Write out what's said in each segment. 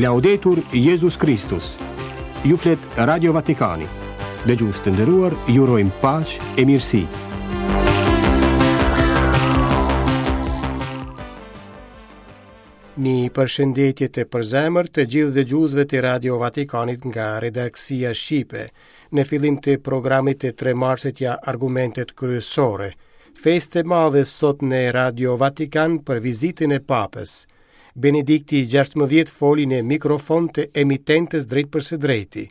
Laudetur Jezus Kristus. Ju flet Radio Vatikani. Dëgjues të nderuar, ju urojmë paqe e mirësi. Një përshëndetje të përzemërt të gjithë dëgjuesve të Radio Vatikanit nga redaksia Shqipe. Në fillim të programit të 3 marsit ja argumentet kryesore. Festë e madhe sot në Radio Vatikan për vizitën e Papës. Benedikti 16 foli në mikrofon të emitentes drejtpërsëdrejti.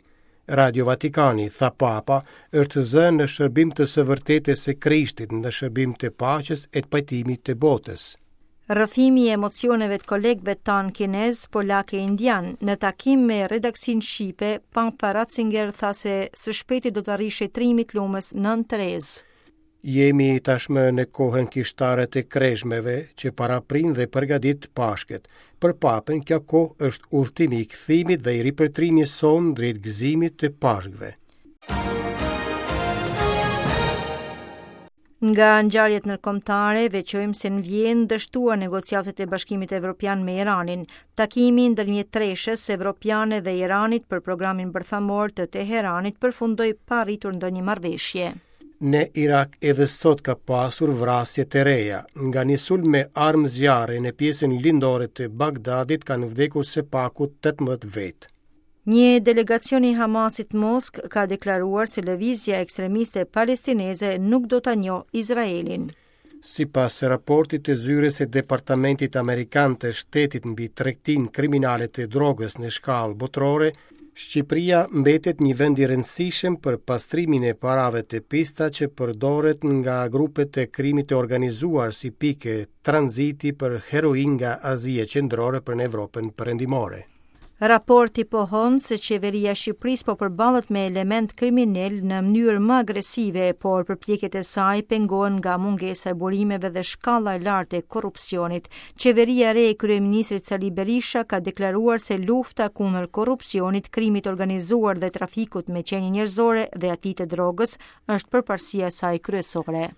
Radio Vatikani, tha Papa, është zë në shërbim të së vërtetës së Krishtit, në shërbim të paqes e të pajtimit të botës. Rrëfimi i emocioneve të kolegëve tanë kinezë, polakë e indianë, në takim me redaksinë shqipe, Papa Ratzinger tha se së shpejti do të arrijë shenjtërimi i Lumës Nënë Terezë. Jemi tashmë në kohën kishtare të krezhmeve që paraprin dhe përgatit Pashkët. Për Papën kjo kohë është udhëtimi i kthimit dhe i ripërtërimit sonë drejt gëzimit të Pashkëve. Nga ngjarjet ndërkombëtare, veçojmë se në Vjenë dështuan negociatat e Bashkimit Evropian me Iranin. Takimi ndërmjet treshes evropiane dhe Iranit për programin bërthamor të Teheranit përfundoi pa arritur ndonjë marrëveshje. Në Irak edhe sot ka pasur vrasje të reja. Nga një sulm me armë zjarri në pjesën lindore të Bagdadit kanë vdekur së paku 18 vetë. Një delegacion i Hamasit në Moskë ka deklaruar se lëvizja ekstremiste palestineze nuk do ta njohë Izraelin. Sipas raportit të zyrës së Departamentit Amerikan të Shtetit mbi tregtinë kriminale të drogës në shkallë botërore, Shqipëria mbetet një vend i rëndësishëm për pastrimin e parave të pista që përdoret nga grupet e krimit të organizuar si pikë tranziti për heroinë nga Azia Qendrore për në Evropën Perëndimore. Raporti pohon se qeveria e Shqipërisë po përballet me elementë kriminalë në mënyrë më agresive, por përpjekjet e saj pengohen nga mungesa e burimeve dhe shkalla e lartë e korrupsionit. Qeveria e re e kryeministrit Sali Berisha ka deklaruar se lufta kundër korrupsionit, krimit të organizuar dhe trafikut me qenie njerëzore dhe atij të drogës është përparësia e saj kryesore.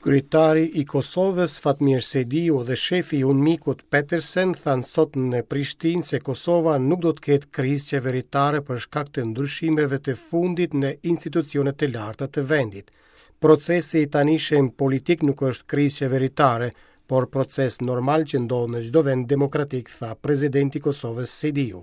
Kryetari i Kosovës, Fatmir Sejdiu dhe shefi i UNMIK-ut Petersen thanë sot në Prishtinë se Kosova nuk do të ketë krizë qeveritare për shkak të ndryshimeve të fundit në institucionet e larta të vendit. Procesi i tanishëm politik nuk është krizë qeveritare, por proces normal që ndodh në çdo vend demokratik, tha presidenti i Kosovës Sejdiu.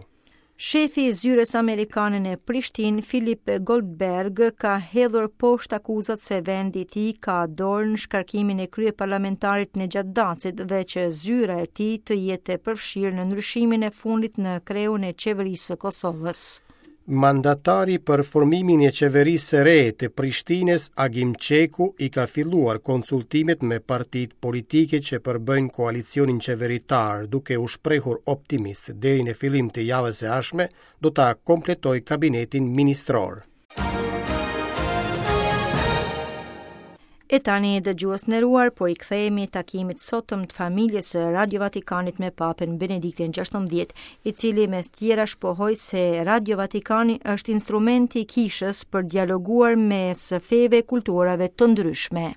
Shefi i zyrës amerikane në Prishtinë, Philip Goldberg, ka hedhur poshtë akuzat se vendi i tij ka dorë në shkarkimin e kryeparlamentarit Nexhat Dacit dhe që zyra e tij të jetë e përfshirë në ndryshimin e fundit në kreun e qeverisë së Kosovës. Mandatari për formimin e qeverisë së re të Prishtinës, Agim Çeku, i ka filluar konsultimet me partitë politike që përbëjnë koalicionin qeveritar, duke u shprehur optimist se deri në fillim të javës së ardhshme do ta kompletojë kabinetin ministror. E tani dëgjues të nderuar, po i kthehemi takimit të sotëm të familjes së Radio Vatikanit me Papën Benediktin XVI, i cili mes tjerash pohoi se Radio Vatikani është instrumenti i kishës për dialoguar mes feve e kulturave të ndryshme.